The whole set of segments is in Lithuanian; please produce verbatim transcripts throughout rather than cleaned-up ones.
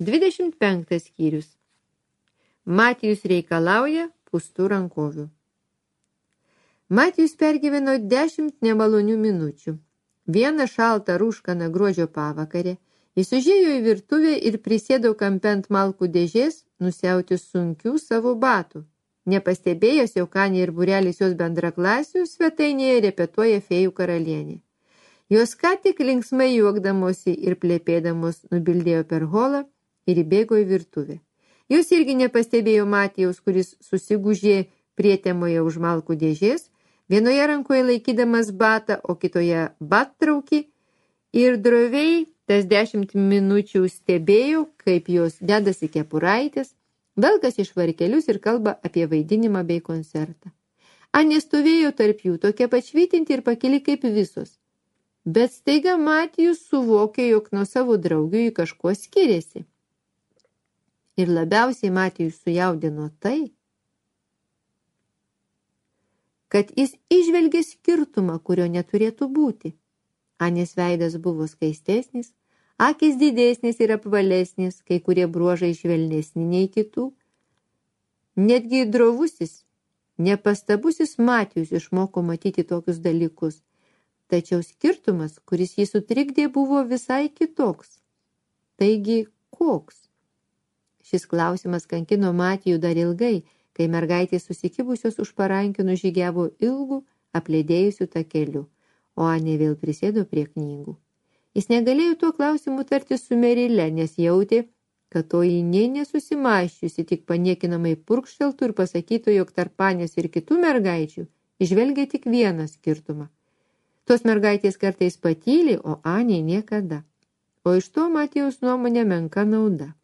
dvidešimt penktas skyrius. Matijus reikalauja pūstų rankovių. Matijus pergyveno dešimt nemalonių minučių. Vieną šaltą rūškaną gruodžio pavakarę jis užėjo į virtuvę ir prisėdo kampe ant malkų dėžės nusiauti sunkių savo batų. Nepastebėjęs, jog Anė ir būrelis jos bendraklasių svetainėje repetuoja fėjų karalienė. Jos ką tik linksmai juokdamosi ir plėpėdamos nubildėjo per holą ir įbėgo į virtuvę. Jos irgi nepastebėjo Matijaus, kuris susigūžė prietemoje už malkų dėžės, vienoje rankoje laikydamas batą, o kitoje battraukį, ir droviai tas dešimt minučių stebėjo, kaip jos dedasi kepuraitės, velkasi švarkelius ir kalba apie vaidinimą bei koncertą. Anė stovėjo tarp jų, tokia pačvytinti ir pakili kaip visos. Bet staiga Matijus suvokė, jog nuo savo draugių jį kažkuo skiriasi. Ir labiausiai Matijus sujaudino tai, kad jis išvelgė skirtumą, kurio neturėtų būti. Anės veidas buvo skaistesnis, akys didesnės ir apvalesnės, kai kurie bruožai švelnesni nei kitų. Netgi drovusis, nepastabusis Matijus išmoko matyti tokius dalykus. Tačiau skirtumas, kuris jį sutrikdė, buvo visai kitoks. Taigi, koks? Šis klausimas kankino Matijų dar ilgai, kai mergaitės susikibusios už parankių nužygiavo ilgų, apledėjusių takeliu, o Anė vėl prisėdo prie knygų. Jis negalėjo tuo klausimu tartis su Merile, nes jautė, kad toji nė nesusimaščiusi, tik paniekinamai purkšteltų ir pasakytų, jog tarp Anės ir kitų mergaičių išvelgia tik vieną skirtumą. Tos mergaitės kartais patyli, o Anė niekada. O iš to Matijaus nuomonė menka nauda.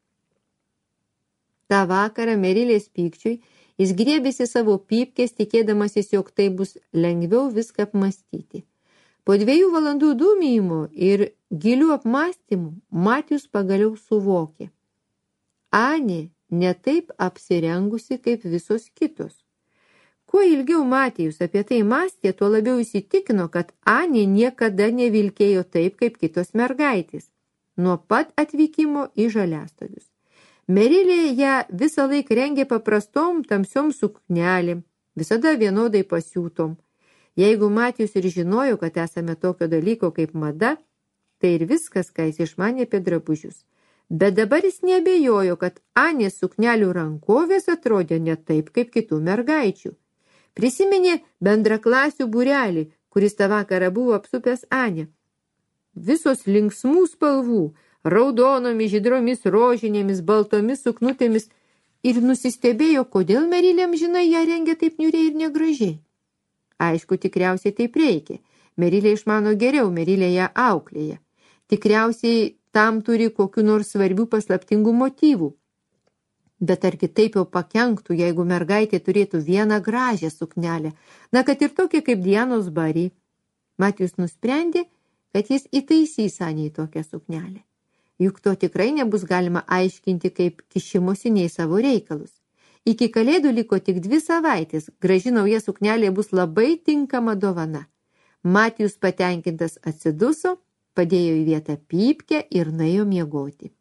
Ta vakarą Merilės pykčiui jis griebėsi savo pypkės, tikėdamasis, jog tai bus lengviau viską apmastyti. Po dviejų valandų dūmijimo ir gilių apmastymų Matijus pagaliau suvokė. Anė ne taip apsirengusi kaip visos kitos. Kuo ilgiau Matijus apie tai mąstė, tuo labiau įsitikino, kad Anė niekada nevilkėjo taip, kaip kitos mergaitės, nuo pat atvykimo į Žaliastogius. Merilė ją visą laiką rengė paprastom tamsiom suknelėm, visada vienodai pasiūtom. Jeigu Matijus ir žinojo, kad esame tokio dalyko kaip mada, tai ir viskas, ką jis išmanė apie drabužius. Bet dabar jis neabejojo, kad Anės suknelių rankovės atrodė ne taip, kaip kitų mergaičių. Prisiminė bendraklasių būrelį, kuris tą vakarą buvo apsupęs Anę. Visos linksmų spalvų, raudonomis, žydromis, rožinėmis, baltomis suknutėmis, ir nusistebėjo, kodėl Merilė amžinai ją rengia taip niūriai ir negražiai. Aišku, tikriausiai taip reikia. Merilė išmano geriau, Merilė ją auklėja. Tikriausiai tam turi kokių nors svarbių paslaptingų motyvų. Bet ar kitaip jau pakenktų, jeigu mergaitė turėtų vieną gražią suknelę, na, kad ir tokia kaip Dianos Bari. Matijus nusprendė, kad jis įtaisys Anei tokią suknelę. Juk to tikrai nebus galima aiškinti kaip kišimusi nei savo reikalus. Iki kalėdų liko tik dvi savaitės, graži nauja suknelė bus labai tinkama dovana. Matijus patenkintas atsiduso, padėjo į vietą pypkę ir nuėjo miegoti.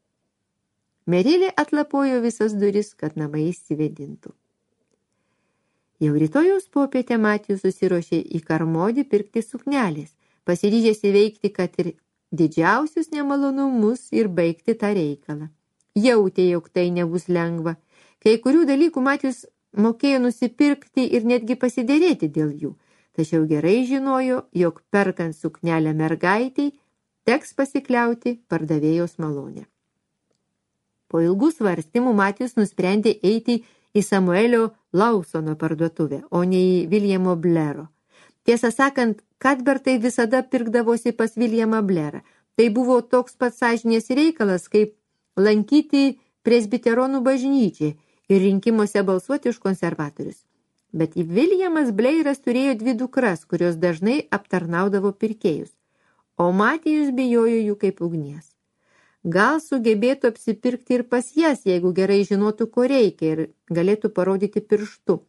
Merilė atlapojo visas duris, kad namai įsivedintų. Jau rytojaus popietę Matijus susiruošė į Karmodį pirkti suknelės, pasiryžęs įveikti, kad ir didžiausius nemalonumus ir baigti tą reikalą. Jautė, jog tai nebus lengva. Kai kurių dalykų Matijus mokėjo nusipirkti ir netgi pasidėrėti dėl jų, tačiau gerai žinojo, jog perkant suknelę mergaitei teks pasikliauti pardavėjos malonę. Po ilgų svarstymų Matijus nusprendė eiti į Samuelio Lawsono parduotuvę, o ne į Viljamo Blero. Tiesą sakant, Kadbertai visada pirkdavosi pas Viljamą Blerą. Tai buvo toks pats sąžinės reikalas, kaip lankyti presbiteronų bažnyčiai ir rinkimuose balsuoti už konservatorius. Bet Viljamas Bleiras turėjo dvi dukras, kurios dažnai aptarnaudavo pirkėjus, o Matijus bijojo jų kaip ugnies. Gal sugebėtų apsipirkti ir pas jas, jeigu gerai žinotų, ko reikia ir galėtų parodyti pirštu.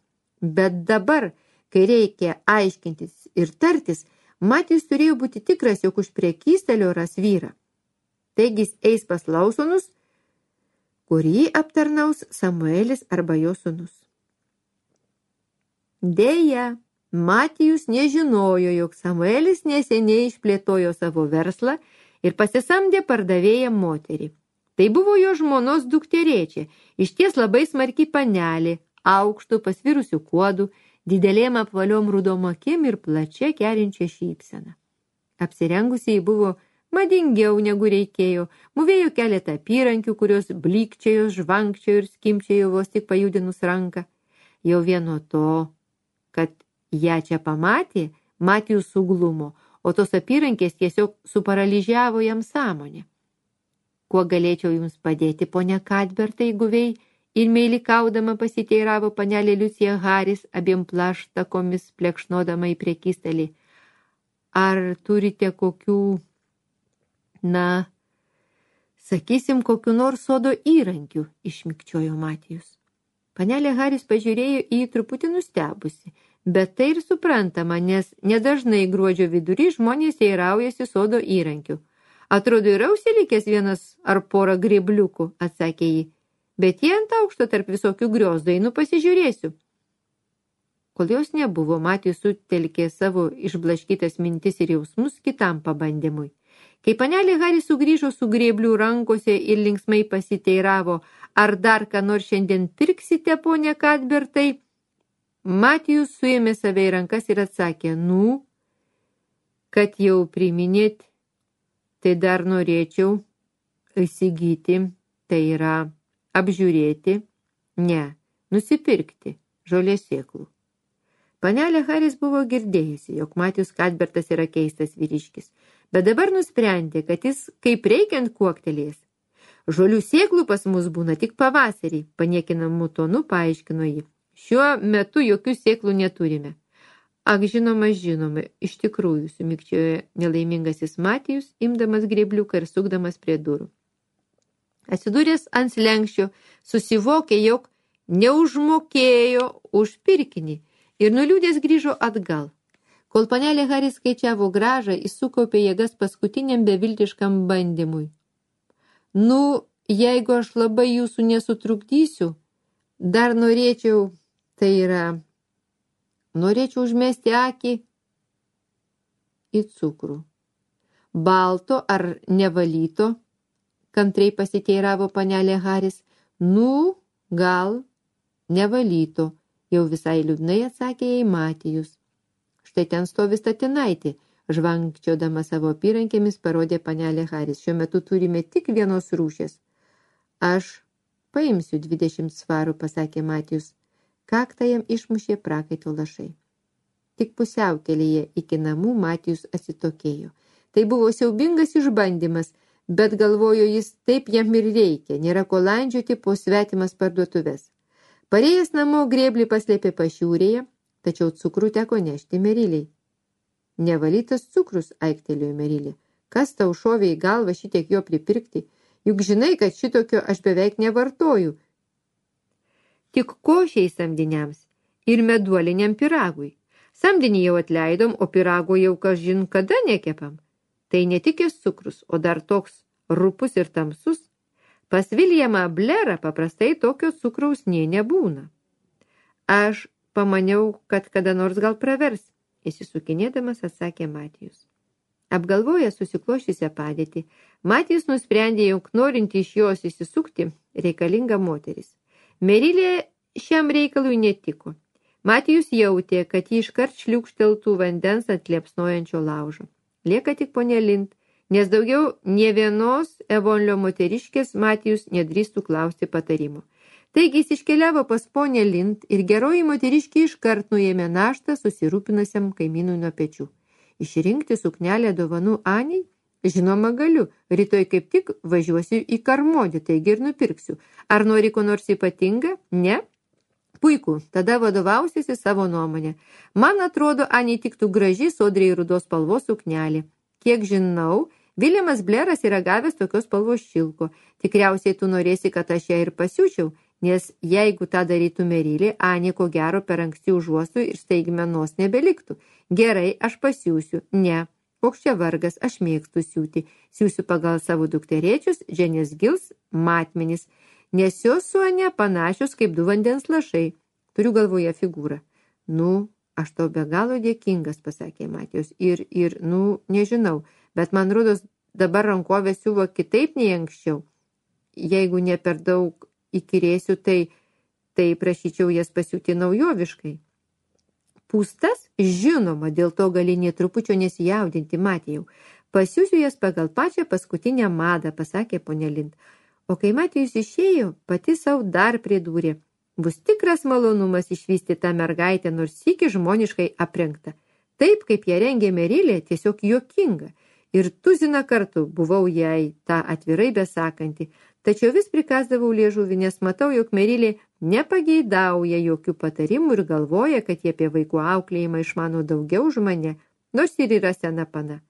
Bet dabar, kai reikia aiškintis ir tartis, Matijus turėjo būti tikras, jog už prekystelio ras vyrą. Taigi jis eis pas Lawsonus, kurį aptarnaus Samuelis arba jo sūnus. Deja, Matijus nežinojo, jog Samuelis neseniai išplėtojo savo verslą ir pasisamdė pardavėją moterį. Tai buvo jo žmonos dukterėčia, išties labai smarki panelė, aukštų pasvirusių kuodų, didelėm apvaliom rudom akim ir plačia kerinčia šypsena. Apsirengusi jį buvo madingiau negu reikėjo, mūvėjo keletą apyrankių, kurios blykčiojo, žvankčiojo ir skimčiojo vos tik pajudinus ranką. Jau vieno to, kad ją čia pamatė, Matijus suglumo, o tos apyrankės tiesiog suparalyžiavo jam sąmonę. Kuo galėčiau jums padėti, ponia Kadbertai, guviai, ir meilikaudama pasiteiravo panelė Liucija Haris, abiem plaštakomis plekšnodama į prekystalį. Ar turite kokių, na, sakysim, kokių nors sodo įrankių, išmikčiojo Matijus. Panelė Haris pažiūrėjo į jį truputį nustebusi, bet tai ir suprantama, nes nedažnai gruodžio vidury žmonės teiraujasi sodo įrankių. Atrodo, yra užsilikęs vienas ar porą grėbliukų, atsakė jį, bet jie ant aukšto tarp visokių griozdų, einu pasižiūrėsiu. Kol jos nebuvo, Matijus sutelkė savo išblaškytas mintis ir jausmus kitam pabandymui. Kai panelė Haris sugrįžo su grėblių rankose ir linksmai pasiteiravo, ar dar ką nors šiandien pirksite, ponia Kadbertai, Matijus suėmė save į rankas ir atsakė, nu, kad jau priminėt, tai dar norėčiau įsigyti, tai yra apžiūrėti, ne, nusipirkti žolės sėklų. Panelė Haris buvo girdėjusi, jog Matijus Kadbertas yra keistas vyriškis, bet dabar nusprendė, kad jis kaip reikiant kuoktelės. Žolių sėklų pas mus būna tik pavasarį, paniekinamu tonu paaiškino jį. Šiuo metu jokių sėklų neturime. Ak, žinoma, žinoma, iš tikrųjų, sumikčiojo nelaimingasis Matijus, imdamas grėbliuką ir sukdamas prie durų. Atsidūręs ant slenkščio, susivokė, jog neužmokėjo už pirkinį ir nuliūdęs grįžo atgal. Kol panelė Haris skaičiavo gražą, jis sukaupė jėgas paskutiniam beviltiškam bandymui. Nu, jeigu aš labai jūsų nesutrukdysiu, dar norėčiau, tai yra, norėčiau užmesti akį į cukrų. Balto ar nevalyto, kantriai pasiteiravo panelė Haris. Nu, gal nevalyto, jau visai liūdnai atsakė jai Matijus. Štai ten stovi statinaitė, žvankčiodama savo apyrankėmis parodė panelė Haris. Šiuo metu turime tik vienos rūšės. Aš paimsiu dvidešimt svarų, pasakė Matijus. Kaktą jam išmušė prakaito lašai. Tik pusiaukelėje iki namų Matijus atsitokėjo. Tai buvo siaubingas išbandymas, bet galvojo jis, taip jam ir reikia, nėra ko landžioti po svetimas parduotuves. Parėjęs namo grėblį paslėpė pašiūrėje, tačiau cukrų teko nešti Meriliai. Nevalytas cukrus, aiktelėjo Merilė. Kas tau šovė į galvą šitiek jo pripirkti? Juk žinai, kad šitokio aš beveik nevartoju. Tik košiai samdiniams ir meduoliniam piragui. Samdinį jau atleidom, o pirago jau kažin kada nekepam. Tai ne tik jis cukrus, o dar toks rupus ir tamsus. Pas Viljamą Blerą paprastai tokio cukraus nė nebūna. Aš pamaniau, kad kada nors gal pravers, įsisukinėdamas atsakė Matijus. Apgalvojęs susikloščiusią padėtį, Matijus nusprendė, jog norint iš jos įsisukti, reikalinga moteris. Merilė šiam reikalui netiko. Matijus jautė, kad jį iškart šliūkšteltų vandens ant liepsnojančio laužo. Lieka tik ponė Lind, nes daugiau nė vienos Evonlio moteriškės Matijus nedrįstų klausti patarimo. Taigi jis iškeliavo pas ponę Lind ir geroji moteriškė iškart nuėmė naštą susirūpinusiam kaimynui nuo pečių. Išrinkti suknelę dovanų Aniai? Žinoma galiu, rytoj kaip tik važiuosiu į Karmodį, taigi ir nupirksiu. Ar nori ko nors ypatinga? Ne? Puiku, tada vadovausiesi savo nuomonę. Man atrodo, Aniai tiktų graži sodriai rudos spalvos suknelė. Kiek žinau, Viljamas Bleras yra gavęs tokios spalvos šilko. Tikriausiai tu norėsi, kad aš ją ir pasiūčiau, nes jeigu tą darytų Merilė, Anė ko gero per anksti užuostų ir staigmenos nebeliktų. Gerai, aš pasiūsiu. Ne. Koks čia vargas, aš mėgstu siūti. Siūsiu pagal savo dukterėčius, Dženės Gils, matmenis. nes jos su Ane panašios kaip du vandens lašai. Turiu galvoje figūrą. Nu, aš tau be galo dėkingas, pasakė Matijus. Ir, ir, nu, nežinau, bet man rodos dabar rankovė siuvo kitaip nei anksčiau. Jeigu ne per daug įkirėsiu, tai, tai prašyčiau jas pasiūti naujoviškai. Pūstas, žinoma, dėl to gali nė trupučio nesijaudinti, Matijau. Pasiūsiu jas pagal pačią paskutinę madą, pasakė ponė Lind. O kai Matijus išėjo, pati savo dar pridūrė. Bus tikras malonumas išvysti tą mergaitę, nors sykį žmoniškai aprengta. Taip, kaip ją rengė Merilė, tiesiog juokinga. Ir tuziną kartų buvau jai tą atvirai besakanti. Tačiau vis prikasdavau liežuvį, nes matau, jog Merilė nepageidauja jokių patarimų ir galvoja, kad jie apie vaikų auklėjimą išmano daugiau už mane, nors ir yra sena pana.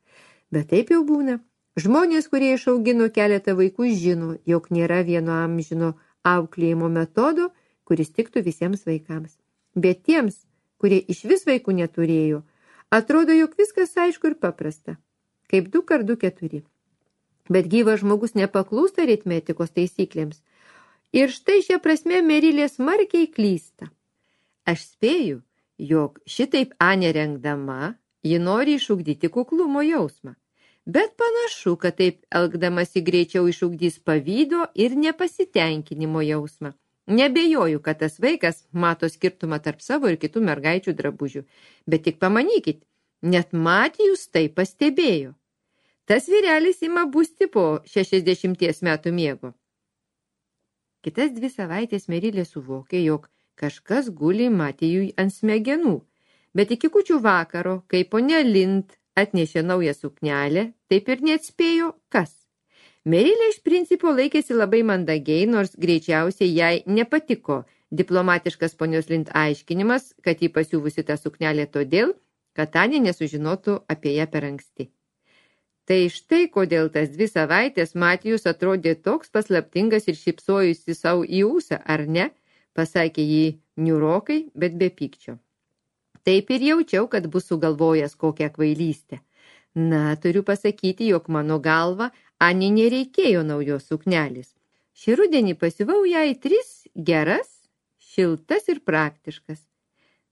Bet taip jau būna. Žmonės, kurie išaugino keletą vaikų, žino, jog nėra vieno amžino auklėjimo metodo, kuris tiktų visiems vaikams. Bet tiems, kurie iš vis vaikų neturėjo, atrodo, jog viskas aišku ir paprasta. Kaip du kart du keturi. Bet gyvas žmogus nepaklūsta aritmetikos taisyklėms. Ir štai šia prasme Merilė smarkiai klysta. Aš spėju, jog šitaip Anė rengdama, ji nori išugdyti kuklumo jausmą. Bet panašu, kad taip elgdamasi greičiau išugdys pavydo ir nepasitenkinimo jausmą. Nebejoju, kad tas vaikas mato skirtumą tarp savo ir kitų mergaičių drabužių. Bet tik pamanykit, net Matijus tai pastebėjo. Tas vyrelis ima busti po šešiasdešimties metų miego. Kitas dvi savaitės Merilė suvokė, jog kažkas guli Matijui ant smegenų. Bet iki kūčių vakaro, kai ponia Lind atnešė naują suknelę, taip ir neatspėjo, kas. Merilė iš principo laikėsi labai mandagiai, nors greičiausiai jai nepatiko diplomatiškas ponios Lind aiškinimas, kad jį pasiuvusi tą suknelę todėl, kad Anė nesužinotų apie ją per anksti. Tai štai kodėl tas dvi savaitės Matijus atrodė toks paslaptingas ir šypsojusi savo į ūsą, ar ne, pasakė jį niūrokai, bet be pykčio. Taip ir jaučiau, kad bus sugalvojęs kokią kvailystę. Na, turiu pasakyti, jog mano galva Anė nereikėjo naujos suknelės. Šį rudenį pasiuvau jai tris geras, šiltas ir praktiškas.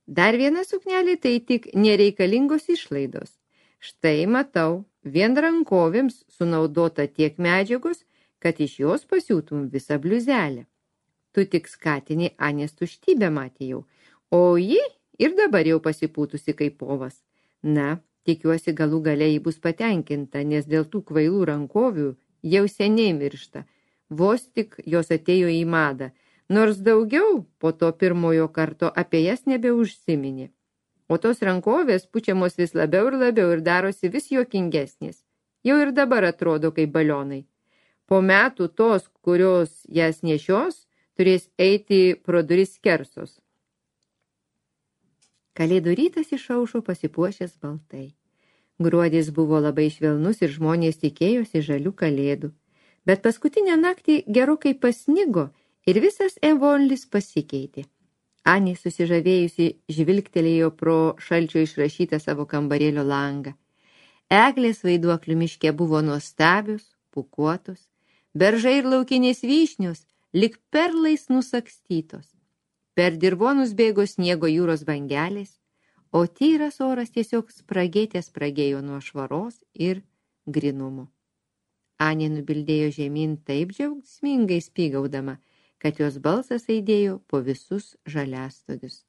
Dar viena suknelė tai tik nereikalingos išlaidos. Štai matau, vien rankovėms sunaudota tiek medžiagos, kad iš jos pasiūtum visą bliuzelę. Tu tik skatini Anės tuštybę, Matijau, o ji ir dabar jau pasipūtusi kaip povas. Na, tikiuosi galų gale ji bus patenkinta, nes dėl tų kvailų rankovių jau seniai miršta. Vos tik jos atėjo į madą, nors daugiau po to pirmojo karto apie jas nebeužsiminė. O tos rankovės pučiamos vis labiau ir labiau ir darosi vis juokingesnės. Jau ir dabar atrodo kaip balionai. Po metų tos, kurios jas nešios, turės eiti pro duris skersos. Kalėdų rytas išaušo pasipuošęs baltai. Gruodis buvo labai švelnus ir žmonės tikėjosi žalių kalėdų. Bet paskutinę naktį gerokai pasnigo ir visas Evonlis pasikeitė. Anė susižavėjusi žvilgtelėjo pro šalčio išrašytą savo kambarėlio langą. Eglės vaiduoklių miške buvo nuostabios, pūkuotos, beržai ir laukinės vyšnios lyg perlais nusakstytos. Per dirvonus bėgo sniego jūros bangelės, o tyras oras tiesiog spragėte spragėjo nuo švaros ir grinumo. Anė nubildėjo žemyn taip džiaugsmingai spygaudama, kad jos balsas aidėjo po visus žaliastogius.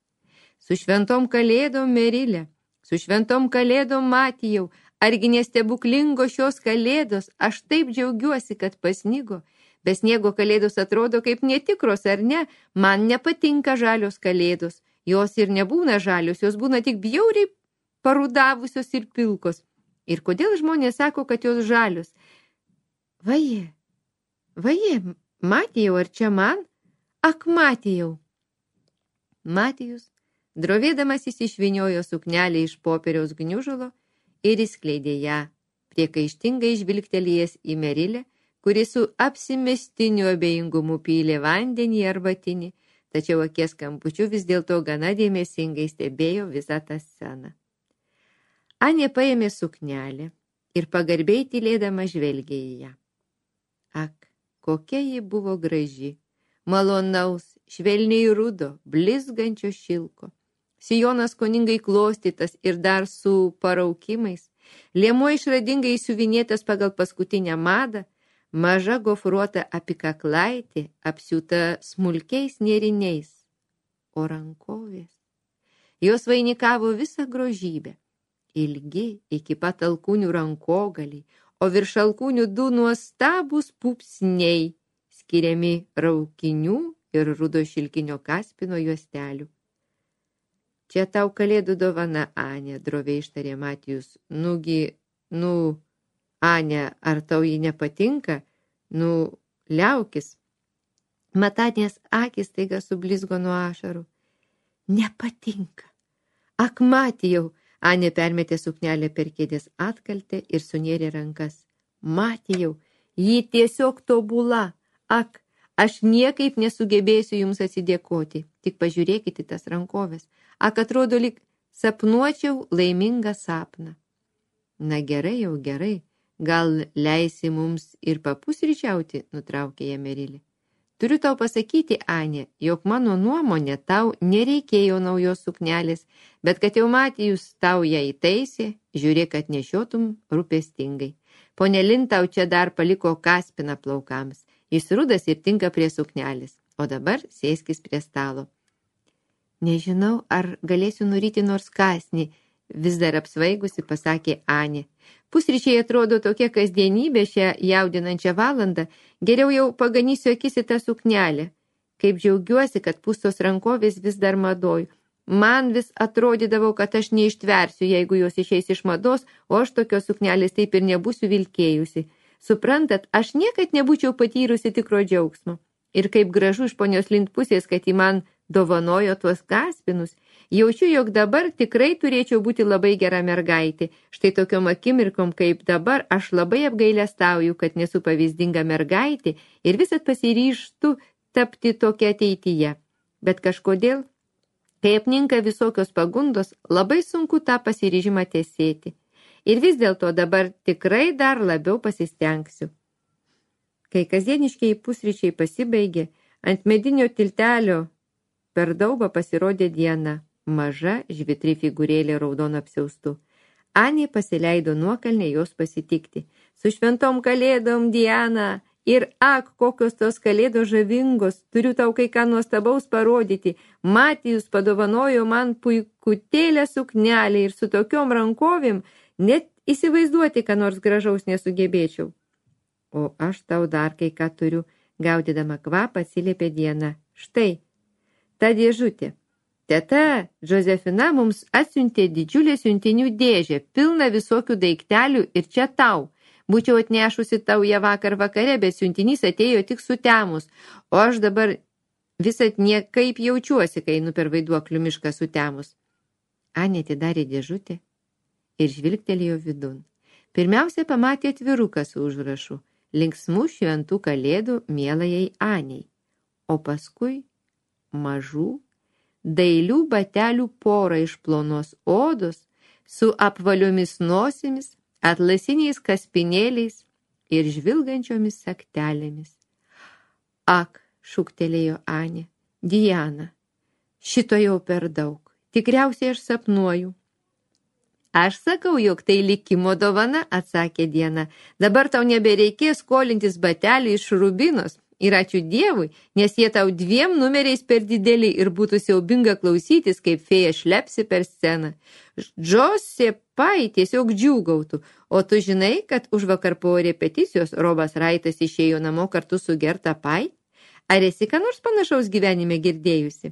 Su šventom kalėdom, Merilė, su šventom kalėdom, Matijau, argi nestebuklingos šios kalėdos, aš taip džiaugiuosi, kad pasnigo. Be sniego kalėdos atrodo kaip netikros, ar ne? Man nepatinka žalios kalėdos. Jos ir nebūna žalios, jos būna tik bjauriai parudavusios ir pilkos. Ir kodėl žmonės sako, kad jos žalios? Vaje, vaje, Matijau, ar čia man? Ak, Matijau. Matijus, drovėdamas jis išviniojo suknelę iš popieriaus gniužulo ir įskleidė ją, priekaištingai žvilgtelėjęs į Merilę, kuri su apsimestiniu abejingumu pylė vandenį arbatinį, tačiau akies kampučiu vis dėlto gana dėmesingai stebėjo visą tą sceną. Anė paėmė suknelę ir pagarbiai tylėdama žvelgė į ją. Ak, kokia ji buvo graži, malonaus, švelniai rudo, blizgančio šilko. Sijonas koningai klostytas ir dar su paraukimais, liemuo išradingai įsiuvinėtas pagal paskutinę madą, maža gofruota apikaklaitė apsiūta smulkiais nėriniais, o rankovės. Jos vainikavo visą grožybę, ilgi iki pat alkūnių rankogaliai, o virš alkūnių du nuostabūs pupsniai, skiriami raukinių ir rudo šilkinio kaspino juostelių. Čia tau kalėdų dovana, Ane, droviai ištarė Matijus. Nugi, nu, Ane, ar tau ji nepatinka? Nu, liaukis. Matanės akis taiga sublizgo nuo ašarų. Nepatinka. Ak, Matijau, Ane permetė suknelę per kėdės atkaltę ir sunėrė rankas. Matijau, ji tiesiog tobula. Ak, aš niekaip nesugebėsiu jums atsidėkoti. Tik pažiūrėkite tas rankovės. Ak, atrodo, lyg sapnuočiau laimingą sapną. Na gerai, jau gerai. Gal leisi mums ir papusryčiauti, nutraukė ją Merilė. Turiu tau pasakyti, Ane, jog mano nuomonė tau nereikėjo naujos suknelės, bet kad jau Matijus tau ją įtaisė, žiūrėk, kad nešiotum rūpestingai. Pone Lin tau čia dar paliko kaspiną plaukams. Jis rudas ir tinka prie suknelės, o dabar sėskis prie stalo. Nežinau, ar galėsiu nuryti nors kasnį, vis dar apsvaigusi, pasakė Anė. Pusryčiai atrodo tokia kasdienybė šią jaudinančią valandą, geriau jau paganysiu akis į tą suknelę. Kaip džiaugiuosi, kad pustos rankovės vis dar madoj. Man vis atrodydavo, kad aš neištversiu, jeigu jos išeis iš mados, o aš tokios suknelės taip ir nebūsiu vilkėjusi. Suprantat, aš niekad nebūčiau patyrusi tikro džiaugsmo. Ir kaip gražu iš ponios Lind pusės, kad ji man dovanojo tuos kaspinus. Jaučiu, jog dabar tikrai turėčiau būti labai gera mergaitė. Štai tokiom akimirkom kaip dabar aš labai apgailestauju, kad nesu pavyzdinga mergaitė ir visat pasiryžtu tapti tokia ateityje. Bet kažkodėl, kai apninka visokios pagundos, labai sunku tą pasiryžimą tesėti. Ir vis dėlto dabar tikrai dar labiau pasistengsiu. Kai kasdieniškiai pusryčiai pasibaigė, ant medinio tiltelio per daubą pasirodė Diana, maža žvitri figūrėlė raudono apsiaustu. Anė pasileido nuokalnę jos pasitikti. Su šventom kalėdom, Diana, ir ak, kokios tos kalėdos žavingos, turiu tau kai ką nuostabaus parodyti. Matijus padovanojo man puikutėlę suknelę ir su tokiom rankovėm net įsivaizduoti, ką nors gražaus nesugebėčiau. O aš tau dar kai ką turiu, gaudydama kvapą atsiliepė Diana. Štai, ta dėžutė. Teta Džozefina mums atsiuntė didžiulę siuntinių dėžę, pilną visokių daiktelių ir čia tau. Būčiau atnešusi tau ją vakar vakare, bet siuntinys atėjo tik sutemus, o aš dabar visat niekaip jaučiuosi, kai einu per vaiduoklių mišką sutemus. Anė atidarė dėžutę ir žvilgtelėjo vidun. Pirmiausia pamatė atviruką su užrašu linksmų šventų kalėdų mielajai Anei, o paskui mažų, dailių batelių porą iš plonos odos su apvaliomis nosimis, atlasiniais kaspinėliais ir žvilgančiomis saktelėmis. Ak, šūktelėjo Anė, Diana, šito jau per daug, tikriausiai aš sapnuoju. Aš sakau, jog tai likimo dovana, atsakė Diana. Dabar tau nebereikės skolintis batelių iš rubinos. Ir ačiū Dievui, nes jie tau dviem numeriais per dideli ir būtų siaubinga klausytis, kaip fėja šlepsi per sceną. Džosė Pai tiesiog džiūgautų, o tu žinai, kad už vakar po repeticijos Robas Raitas išėjo namo kartu su Gerta Pai? Ar esi ką nors panašaus gyvenime girdėjusi?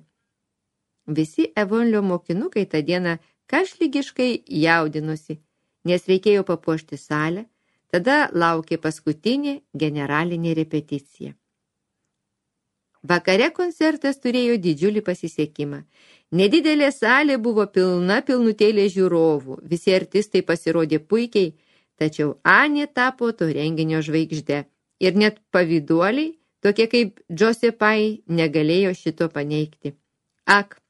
Visi Evonlio mokinukai tą dieną kašlygiškai jaudinosi, nes reikėjo papuošti salę, tada laukė paskutinė generalinė repeticija. Vakare koncertas turėjo didžiulį pasisekimą. Nedidelė salė buvo pilna pilnutėlė žiūrovų, visi artistai pasirodė puikiai, tačiau Anė tapo to renginio žvaigžde. Ir net pavyduoliai, tokie kaip Džosė Pai, negalėjo šito paneigti. Ak,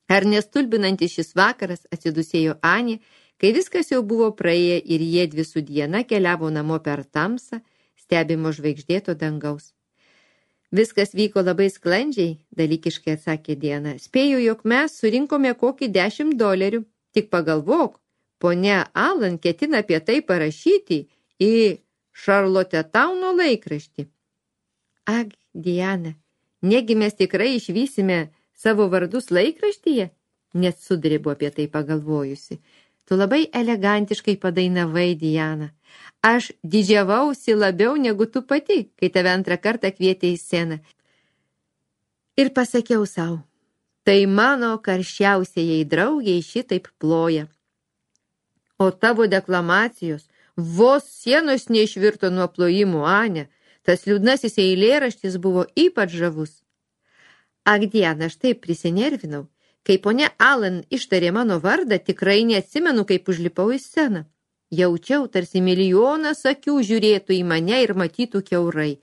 ar nestulbinantis šis vakaras, atsidusėjo Anė, kai viskas jau buvo praėję ir jie dvi su Diana keliavo namo per tamsą, stebimo žvaigždėto dangaus. Viskas vyko labai sklandžiai, dalykiškai atsakė Diana. Spėju, jog mes surinkome kokį dešimt dolerių. Tik pagalvok, ponia Alan ketina apie tai parašyti į Šarlotetauno laikraštį. Ak, Diana, negi mes tikrai išvysime savo vardus laikraštyje? Net sudrėbu apie tai pagalvojusi. Tu labai elegantiškai padainavai, Diana. Aš didžiavausi labiau negu tu pati, kai tave antrą kartą kvietė į sceną. Ir pasakiau sau, tai mano karščiausiai draugiai šitaip ploja. O tavo deklamacijos vos sienos neišvirto nuo plojimų, Ane. Tas liūdnasis eilėraštis buvo ypač žavus. Ak, Diana, aš taip prisinervinau. Kai ponia Alan ištarė mano vardą, tikrai neatsimenu, kaip užlipau į sceną. Jaučiau, tarsi milijonas akių žiūrėtų į mane ir matytų kiaurai.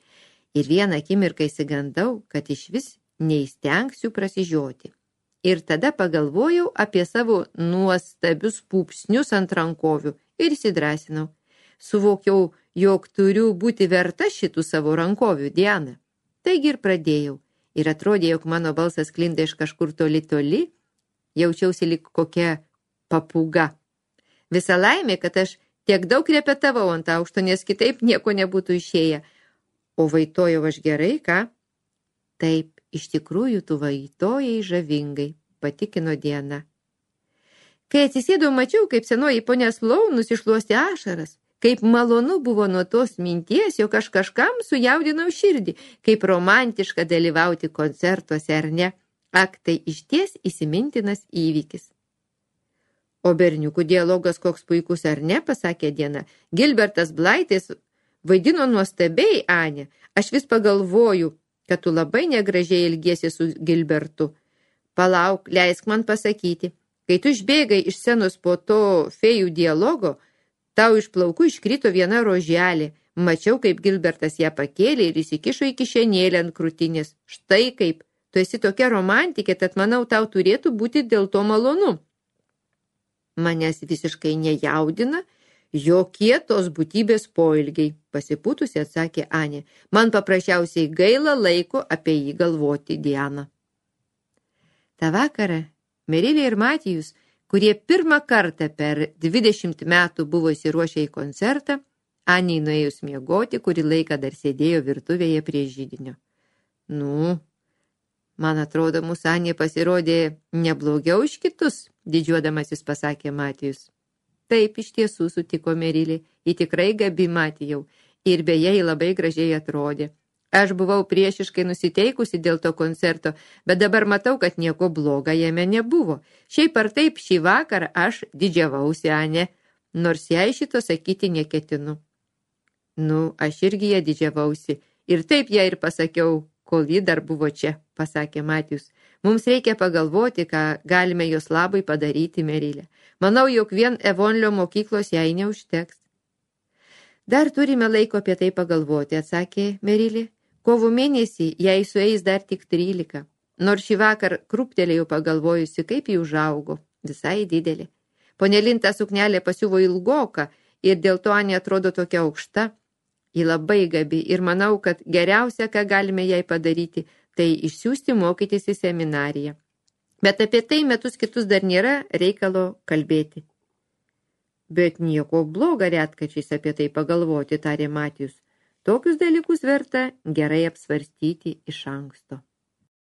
Ir vieną akimirką įsigandau, kad iš vis neįstengsiu prasižioti. Ir tada pagalvojau apie savo nuostabius pūpsnius ant rankovių ir įsidrasinau. Suvokiau, jog turiu būti verta šitų savo rankovių, Diana. Taigi ir pradėjau. Ir atrodė, jog mano balsas klinda iš kažkur toli toli, jaučiausi lyg kokia papūga. Visa laimė, kad aš tiek daug repetavau ant aukšto, nes kitaip nieko nebūtų išėję. O vaitojau aš gerai, ką? Taip, iš tikrųjų tu vaitojai žavingai, patikino Diana. Kai atsisėdau, mačiau, kaip senoji ponia Sloan nusišluostė ašaras. Kaip malonu buvo nuo tos minties, jog aš kažkam sujaudinau širdį, kaip romantiška dalyvauti koncertuose, ar ne? Ak, tai išties įsimintinas įvykis. O berniukų dialogas koks puikus, ar ne, pasakė Diana. Gilbertas Blaitis vaidino nuostabiai, Ane. Aš vis pagalvoju, kad tu labai negražiai ilgiesi su Gilbertu. Palauk, leisk man pasakyti. Kai tu išbėgai iš scenos po to fėjų dialogo, tau iš plaukų iškrito viena roželė. Mačiau, kaip Gilbertas ją pakėlė ir įsikišo į kišenėlę ant krūtinės. Štai kaip, tu esi tokia romantikė, tad manau, tau turėtų būti dėl to malonu. Manęs visiškai nejaudina jokie tos būtybės poilgiai, pasipūtusi atsakė Anė. Man paprasčiausiai gaila laiko apie jį galvoti, Diana. Ta vakarą Merilė ir Matijus, kurie pirmą kartą per dvidešimt metų buvo įsiruošę į koncertą, Anei nuėjus miegoti, kurį laiką dar sėdėjo virtuvėje prie židinio. Nu, man atrodo, mūsų Anė pasirodė neblogiau iš kitus, didžiuodamasis pasakė Matijus. Taip, iš tiesų, sutiko Merilė, ji tikrai gabi, Matijau, ir beje, ji labai gražiai atrodė. Aš buvau priešiškai nusiteikusi dėl to koncerto, bet dabar matau, kad nieko bloga jame nebuvo. Šiaip ar taip, šį vakarą aš didžiavausi, Ane, nors jai šito sakyti neketinu. Nu, aš irgi ją didžiavausi, ir taip ją ir pasakiau, kol ji dar buvo čia, pasakė Matijus. Mums reikia pagalvoti, ką galime jos labai padaryti, Merilė. Manau, jog vien Evonlio mokyklos jai neužteks. Dar turime laiko apie tai pagalvoti, atsakė Merilė. Kovo mėnesį jai sueis dar tik trylika, nors šį vakar krūptelėjau pagalvojusi, kaip jį užaugo, visai didelė. Ponelinta suknelė pasiuvo ilgoką ir dėl to Anė atrodo tokia aukšta. Ji labai gabi ir manau, kad geriausia, ką galime jai padaryti, tai išsiųsti mokytis į seminariją. Bet apie tai metus kitus dar nėra reikalo kalbėti. Bet nieko bloga retkačiais apie tai pagalvoti, tarė Matijus. Tokius dalykus verta gerai apsvarstyti iš anksto.